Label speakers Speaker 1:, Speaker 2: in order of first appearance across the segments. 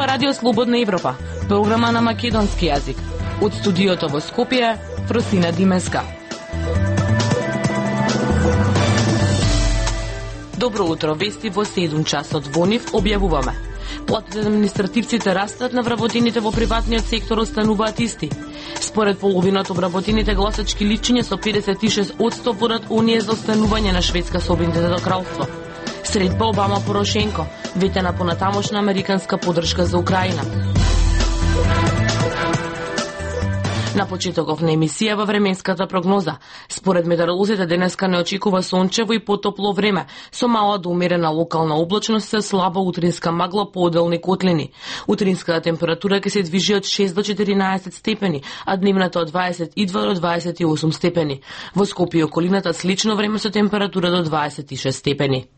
Speaker 1: Радио Слободна Европа, програма на македонски јазик. Од студиото во Скопје, Фросина Димеска. Добро утро, вести во 7 часот во нив објавуваме. Платите на административците растат, на вработените во приватниот сектор остануваат исти. Според половината обработените гласачки личиња со 56% водат оние за останување на Шведска со Обединетото кралство. Средба Обама-Порошенко, вете на понатамошна американска поддршка за Украина. На почетоков на емисија во временската прогноза. Според метеоролозите денеска не очекува сончево и потопло време, со мала до умерена локална облачност се слаба утринска магла по оделни котлини. Утринската температура ќе се движи од 6 до 14 степени, а дневната од 22 до 28 степени. Во Скопје и околината слично време со температура до 26 степени.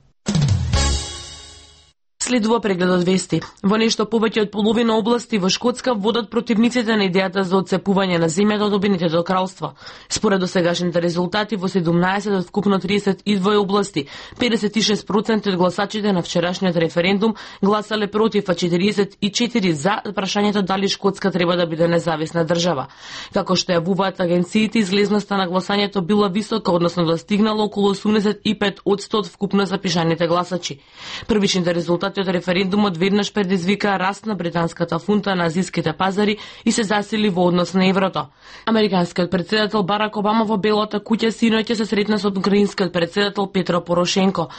Speaker 1: Следува прегледот вести. Во нешто повеќе од половина области во Шкотска водат противниците на идејата за отцепување на земјата од Обединетото кралство. Според досегашните резултати во 17 од вкупно 32 области, 56% од гласачите на вчерашниот референдум гласале против, а 44 за прашањето дали Шкотска треба да биде независна држава. Како што јавуваат агенциите, излезноста на гласањето била висока, односно достигнала околу 85% од вкупно запишаните гласачи. Првичните резултати од референдумот веднаш предизвика раст на британската фунта на азиските пазари и се засили во однос на еврото. Американскиот претседател Барак Обама во Белата куќа синоќа се сретна со украинскиот претседател Петро Порошенко,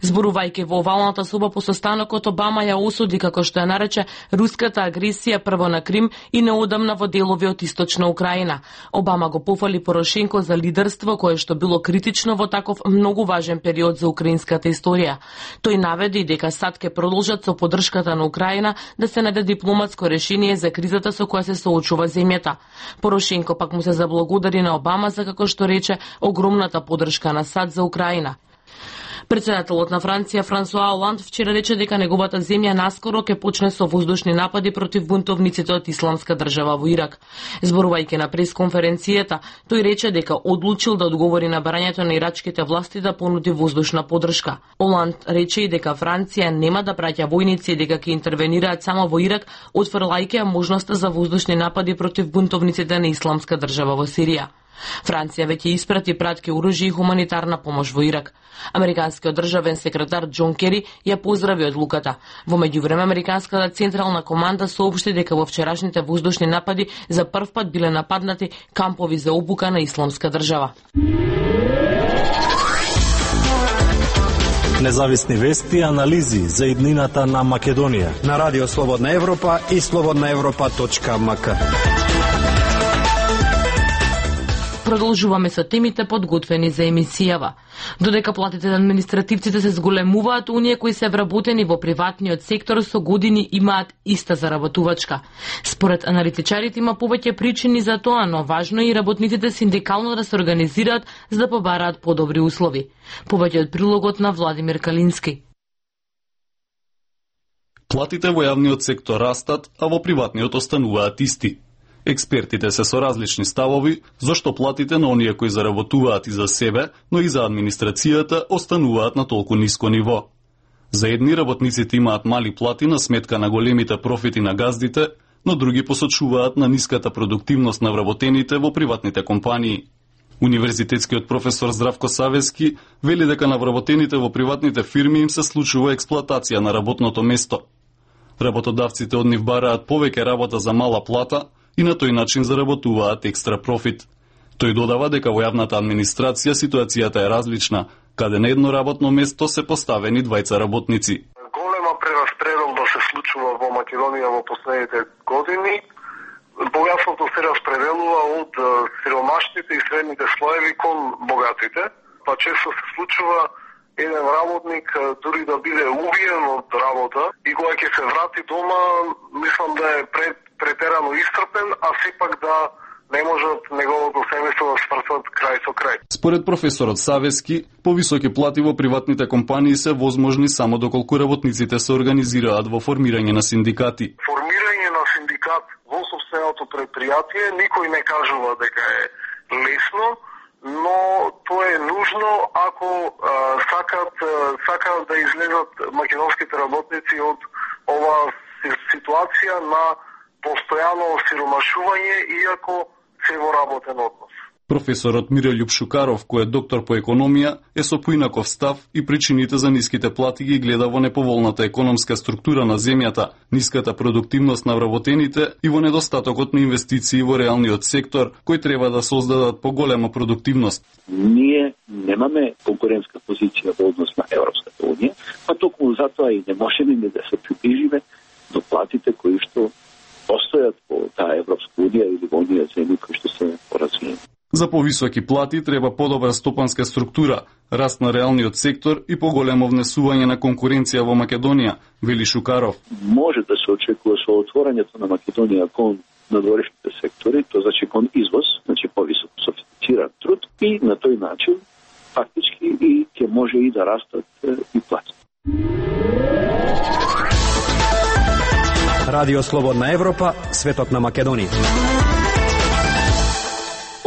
Speaker 1: Зборувајќи во овалната соба по состанокот, Обама ја осуди, како што ја нарече, руската агресија прво на Крим и неодамна во делови од источна Украина. Обама го пофали Порошенко за лидерство кое што било критично во таков многу важен период за украинската историја. Тој наведи дека САД ќе продолжат со поддршката на Украина да се најде дипломатско решение за кризата со која се соочува земјата. Порошенко пак му се заблагодари на Обама за, како што рече, огромната поддршка на САД за Украина. Председателот на Франција Франсуа Оланд вчера рече дека неговата земја наскоро ќе почне со воздушни напади против бунтовниците од Исламска држава во Ирак. Зборувајќи на пресконференцијата, тој рече дека одлучил да одговори на барањето на ирачките власти да понуди воздушна поддршка. Оланд рече и дека Франција нема да праќа војници и дека ќе интервенираат само во Ирак, отфрлајќи ја можноста за воздушни напади против бунтовниците на Исламска држава во Сирија. Франција веќе испрати пратки оружје и хуманитарна помош во Ирак. Американскиот државен секретар Џон Кери ја поздрави одлуката. Во меѓувреме, Американската централна команда соопшти дека во вчерашните воздушни напади за прв пат биле нападнати кампови за обука на Исламска држава.
Speaker 2: Независни вести и анализи за иднината на Македонија
Speaker 3: на Радио Слободна Европа и slobodnaevropa.mk.
Speaker 1: Продолжуваме со темите подготвени за емисијава. Додека платите на административците се зголемуваат, оние кои се вработени во приватниот сектор со години имаат иста заработувачка. Според аналитичарите има повеќе причини за тоа, но важно е и работниците синдикално да се организираат за да побараат подобри услови. Повеќе од прилогот на Владимир Калински.
Speaker 4: Платите во јавниот сектор растат, а во приватниот остануваат исти. Експертите се со различни ставови, зашто платите на оние кои заработуваат и за себе, но и за администрацијата остануваат на толку ниско ниво. За едни работниците имаат мали плати на сметка на големите профити на газдите, но други посочуваат на ниската продуктивност на вработените во приватните компании. Универзитетскиот професор Здравко Савески вели дека на вработените во приватните фирми им се случува експлоатација на работното место. Работодавците од нив бараат повеќе работа за мала плата, и на тој начин заработуваат екстра профит. Тој додава дека во јавната администрација ситуацијата е различна, каде на едно работно место се поставени двајца работници.
Speaker 5: Голема прераспределба се случува во Македонија во последните години. Богатството се распределува од сиромашните и средните слоеви кон богатите, па често се случува еден работник дури да биде убиен од работа и кога ќе се врати дома, мислам да е претерано истрпен, а сепак да не можат неговото семејство да свршат крај со крај.
Speaker 4: Според професорот Савески, повисоки плати во приватните компании се возможни само доколку работниците се организираат во формирање на синдикати.
Speaker 5: Формирање на синдикат во собственото предпријатие никој не кажува дека е лесно, но тоа е нужно ако сакаат да излезат македонските работници од ова ситуација на постојано осиромашување, иако се во работен однос.
Speaker 4: Професорот Мирољуб Шукаров, кој е доктор по економија, е со поинаков став и причините за ниските плати ги гледа во неповолната економска структура на земјата, ниската продуктивност на вработените и во недостатокот на инвестиции во реалниот сектор, кои треба да создадат поголема продуктивност.
Speaker 6: Ние немаме конкурентска позиција во однос на Европската унија, па токму затоа и не можеме ни да се приближиме до платите кои што постојат во таа Европска унија или во оние земји кои што се поразвиени.
Speaker 4: За повисоки плати треба подобра стопанска структура, раст на реалниот сектор и поголемо внесување на конкуренција во Македонија, вели Шукаров.
Speaker 6: Може да се очекува со отворањето на Македонија кон надворешните сектори, тоа значи кон извоз, значи повисоко софистициран труд и на тој начин фактички и ќе може и да растат и плати.
Speaker 3: Радио Слободна Европа, светот на Македонија.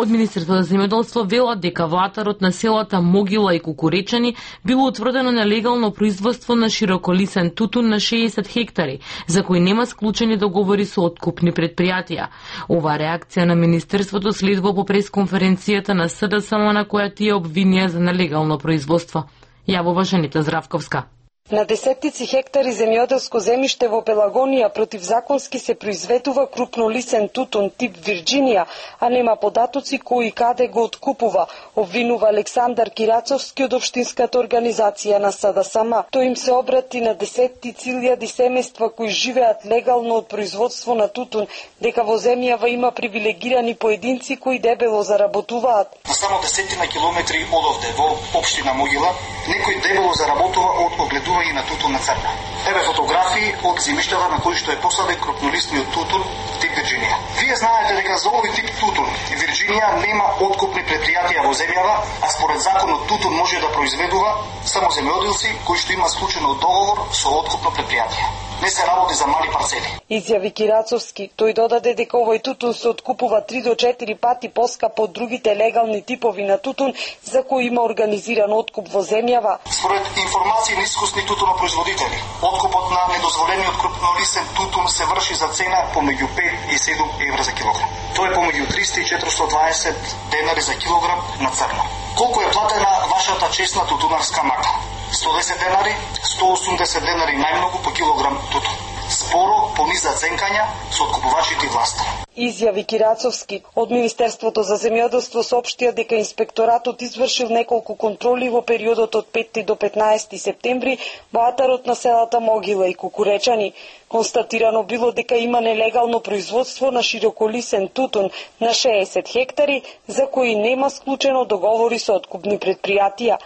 Speaker 1: Од Министерството за земјоделство велат дека влатарот на селата Могила и Кукуречани било утврдено нелегално производство на широколисен тутун на 60 хектари, за кои нема склучени договори со откупни предпријатија. Ова реакција на Министерството следува по пресконференцијата на СДСМ на која тие обвинија за нелегално производство. Јавува Жанита Здравковска.
Speaker 7: На десеттици хектари земјоделско земјиште во Пелагонија противзаконски се произведува крупнолисен тутун тип Вирџинија, а нема податоци кој и каде го откупува, обвинува Александар Кирацовски од Општинската организација на СДСМ. Тој им се обрати на десеттици илјади семејства кои живеат легално од производство на тутун, дека во земјава има привилегирани поединци кои дебело заработуваат.
Speaker 8: На само десетина километри одовде во општина Могила, некој дебело заработува од огледување на тутун на црна. Еве фотографии од земјиштата на кои што е посаден крупнолистниот тутун тип Вирџинија. Вие знаете дека за овој тип тутун Вирџинија нема откупни предпријатија во земјава, а според законот тутун може да произведува само земјоделци кои што има склучено договор со откупно предпријатие. Не се работи за мали парцели.
Speaker 7: Изјави Кирацовски. Тој додаде дека овој тутун се откупува 3 до 4 пати поскапо од другите легални типови на тутун за кои има организиран откуп во земјава.
Speaker 8: Според информации на искусни тутунопроизводители, откупот на недозволениот крупнолисен тутун се врши за цена помеѓу 5 и 7 евра за килограм. Тоа е помеѓу 300 и 420 денари за килограм на црно. Колку е платена вашата честна тутунарска марка? 110 денари, 180 денари најмногу по килограм тутун. Споро пониза ценкања со откупувачите и власта.
Speaker 7: Изјави Кирацовски. Од Министерството за земјоделство соопштија дека инспекторатот извршил неколку контроли во периодот од 5 до 15 септември во атарот на селата Могила и Кукуречани. Констатирано било дека има нелегално производство на широколисен тутун на 60 хектари, за кои нема склучено договори со откупни предпријатија.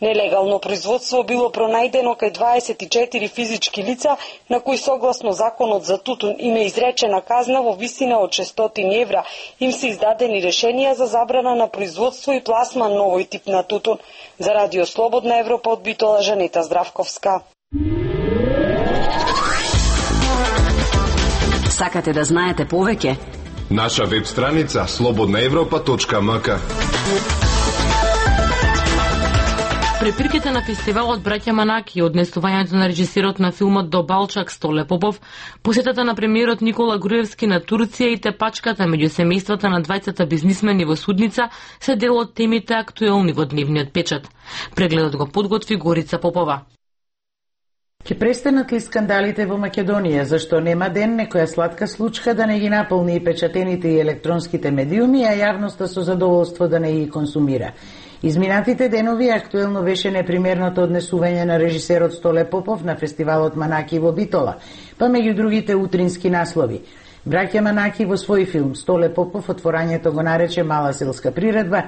Speaker 7: Нелегално производство било пронајдено кај 24 физички лица, на кои согласно законот за тутун им е изречена казна во висина од 600 евра. Им се издадени решенија за забрана на производство и пласман на овој тип на тутун. За Радио Слободна Европа од Битола, Жанета Здравковска.
Speaker 9: Сакате да знаете повеќе?
Speaker 10: Наша веб страница slobodnaevropa.mk.
Speaker 1: Препирките на фестивалот Браќа Манаки, однесувањето на режисерот на филмот До Балчак Столе Попов, посетата на премиерот Никола Груевски на Турција и тепачката меѓу семејствата на двајцата бизнисмени во Судница се дел од темите актуелни во дневниот печат. Прегледот го подготви Горица Попова.
Speaker 11: Ке престанат ли скандалите во Македонија, зашто нема ден некоја сладка случка да не ги наполни и печатените и електронските медиуми, а јавноста со задоволство да не ги консумира. Изминатите денови актуелно беше непримерното однесување на режисерот Столе Попов на фестивалот Манаки во Битола, па меѓу другите утрински наслови. Браќа Манаки во свој филм Столе Попов отворањето го нарече мала селска приредба,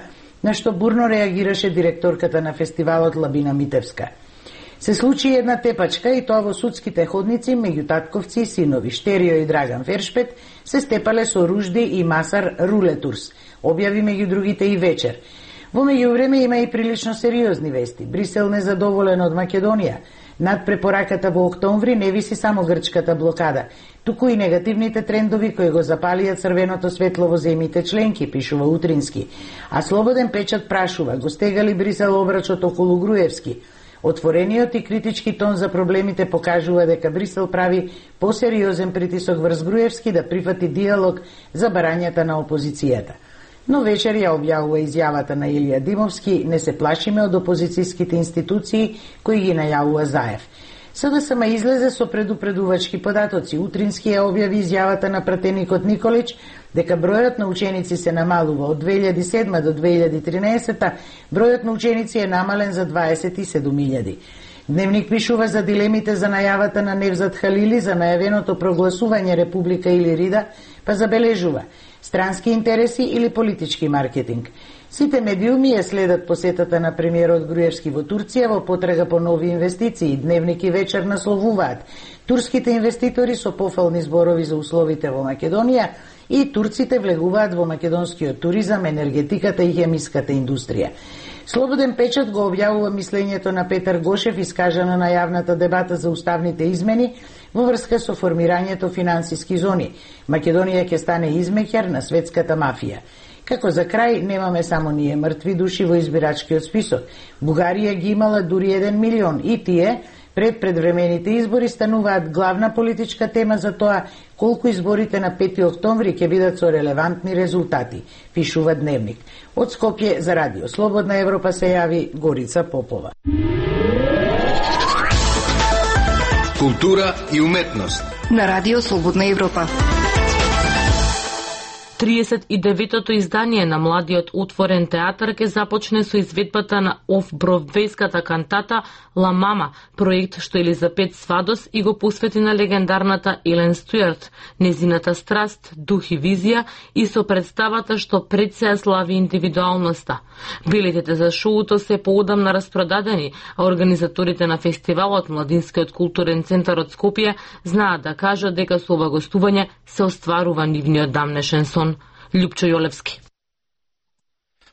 Speaker 11: на што бурно реагираше директорката на фестивалот Лабина Митевска. Се случи една тепачка и тоа во судските ходници меѓу татковци и синови. Штерио и Драган Фершпет се степале со Ружди и Масар Рулетурс, објави меѓу другите и вечер. Во меѓувреме има и прилично сериозни вести. Брисел незадоволен од Македонија. Над препораката во октомври не виси само грчката блокада, туку и негативните трендови кои го запалија црвеното светло во земјите членки, пишува Утрински. А Слободен печат прашува, го стега ли Брисел обрачот околу Груевски? Отворениот и критички тон за проблемите покажува дека Брисел прави посериозен притисок врз Груевски да прифати диалог за барањата на опозицијата. Но вечер ја објавува изјавата на Илија Димовски: не се плашиме од опозицијските институции кои ги најавува Заев. СДСМ излезе со предупредувачки податоци. Утрински ја објави изјавата на пратеникот Николич дека бројот на ученици се намалува. Од 2007 до 2013 бројот на ученици е намален за 27.000. Дневник пишува за дилемите за најавата на Невзат Халили за најавеното прогласување Република или Рида, па забележува: странски интереси или политички маркетинг. Сите медиуми ја следат посетата на премиерот Груевски во Турција во потрага по нови инвестиции. Дневник и вечер насловуваат: турските инвеститори со пофални зборови за условите во Македонија и турците влегуваат во македонскиот туризам, енергетиката и хемиската индустрија. Слободен печат го објавува мислењето на Петар Гошев, искажано на јавната дебата за уставните измени во врска со формирањето финансиски зони. Македонија ќе стане измеќар на светската мафија. Како за крај, немаме само ние мртви души во избирачкиот список. Бугарија ги имала дури 1 милион и тие пред предвремените избори стануваат главна политичка тема за тоа колку изборите на 5 октомври ќе бидат со релевантни резултати, пишува Дневник. Од Скопје за Радио Слободна Европа се јави Горица Попова.
Speaker 10: Култура и уметност
Speaker 12: на Радио Слободна Европа.
Speaker 1: 39-тото издание на младиот отворен театар ќе започне со изведбата на оф-бродвејската кантата Ла Мама, проект што Елизабет Свадос и го посвети на легендарната Елен Стюарт, незината страст, дух и визија и со представата што пред се слави индивидуалноста. Билетите за шоуто се поодамна распродадени, а организаторите на фестивалот Младинскиот културен центар од Скопје знаат да кажат дека со ова гостување се остварува нивниот дамнешен сон. Љупчо Јолевски.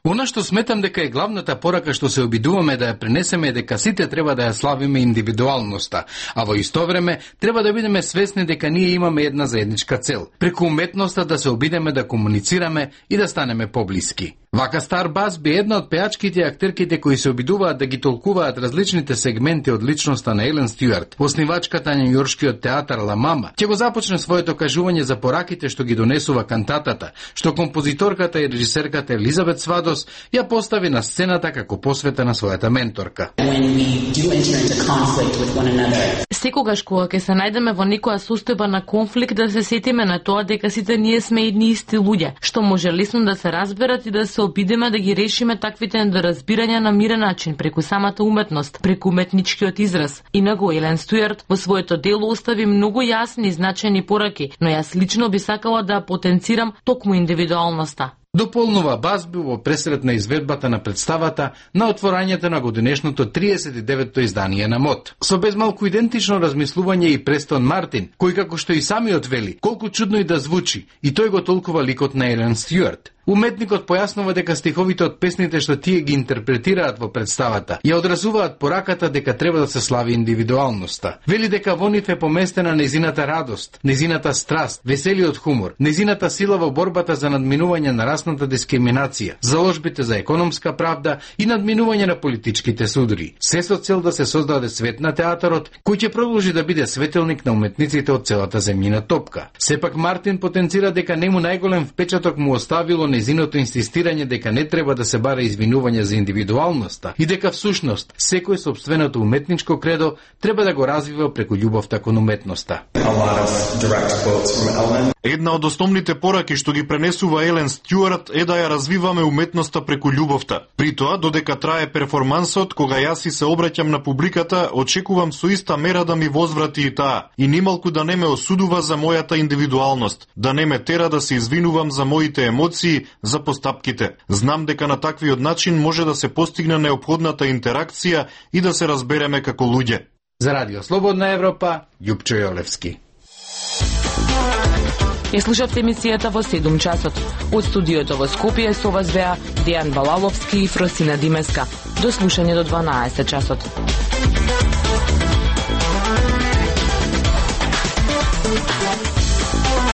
Speaker 13: Она што сметам дека е главната порака што се обидуваме да ја пренесеме е дека сите треба да ја славиме индивидуалноста, а во исто време треба да бидеме свесни дека ние имаме една заедничка цел, преку уметноста да се обидеме да комуницираме и да станеме поблиски. Вака Стар Бас би една од пеачките и актерките кои се обидуваат да ги толкуваат различните сегменти од личноста на Елен Стюарт, основачката на њујоршкиот театар Ла Мама, ќе го започне своето кажување за пораките што ги донесува кантатата, што композиторката и режисерката Елизабет Свадос ја постави на сцената како посвета на својата менторка.
Speaker 1: Секогаш кога ќе се најдеме во некоја состојба на конфликт, да се сетиме на тоа дека сите ние сме едни исти луѓе, што може лесно да се разберат и да се обидеме да ги решиме таквите недоразбирања на мирен начин, преку самата уметност, преку уметничкиот израз. Инаку Елен Стюарт во своето дело остави многу јасни и значајни пораки, но јас лично би сакала да потенцирам токму индивидуалноста.
Speaker 13: Дополнува Басби во пресрет на изведбата на представата на отворањето на годинешното 39-то издание на МОД. Со безмалку идентично размислување и Престон Мартин, кој како што и самиот вели, колку чудно и да звучи, и тој го толкува ликот на Елен Стюарт. Уметникот појаснува дека стиховите од песните што тие ги интерпретираат во представата ја одразуваат пораката дека треба да се слави индивидуалноста. Вели дека во нив е поместена незината радост, незината страст, веселиот хумор, незината сила во борбата за надминување на расната дискриминација, заложбите за економска правда и надминување на политичките судори. Се со цел да се создаде свет на театарот, кој ќе продолжи да биде светилник на уметниците од целата земјина топка. Сепак Мартин потенцира дека нему најголем впечаток му оставило незиното инсистирање дека не треба да се бара извинување за индивидуалноста и дека всушност секој собственото уметничко кредо треба да го развива преку љубовта кон уметноста.
Speaker 14: Една од основните пораки што ги пренесува Елен Стюарт е да ја развиваме уметноста преку љубовта. При тоа, додека трае перформансот, кога јас и се обраќам на публиката, очекувам со иста мера да ми возврати и таа, и нималку да не ме осудува за мојата индивидуалност, да не ме тера да се извинувам за моите емоции, за постапките. Знам дека на таквиот начин може да се постигне неопходната интеракција и да се разбереме како луѓе.
Speaker 13: За Радио Слободна Европа, Љупчо Јолевски.
Speaker 1: Ја слушавте емисијата во 7 часот. Од студиото во Скопје со вас беа Дејан Балаловски и Фросина Димеска. До слушање до 12 часот.